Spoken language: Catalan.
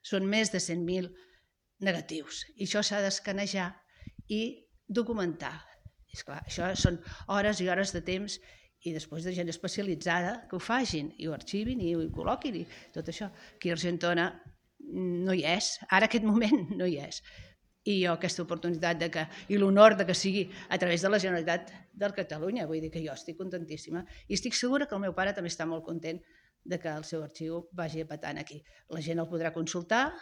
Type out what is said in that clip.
són més de 100.000 negatius. I això s'ha d'escanejar i documentar. Esclar, això són hores i hores de temps i després de gent especialitzada que ho facin i ho arxivin i ho col·loquin i tot això. Aquí a Argentona no hi és, ara aquest moment no hi és. I jo aquesta oportunitat i l'honor que sigui a través de la Generalitat de Catalunya, vull dir que jo estic contentíssima i estic segura que el meu pare també està molt content de que el seu arxiu vagi apetant aquí. La gent el podrà consultar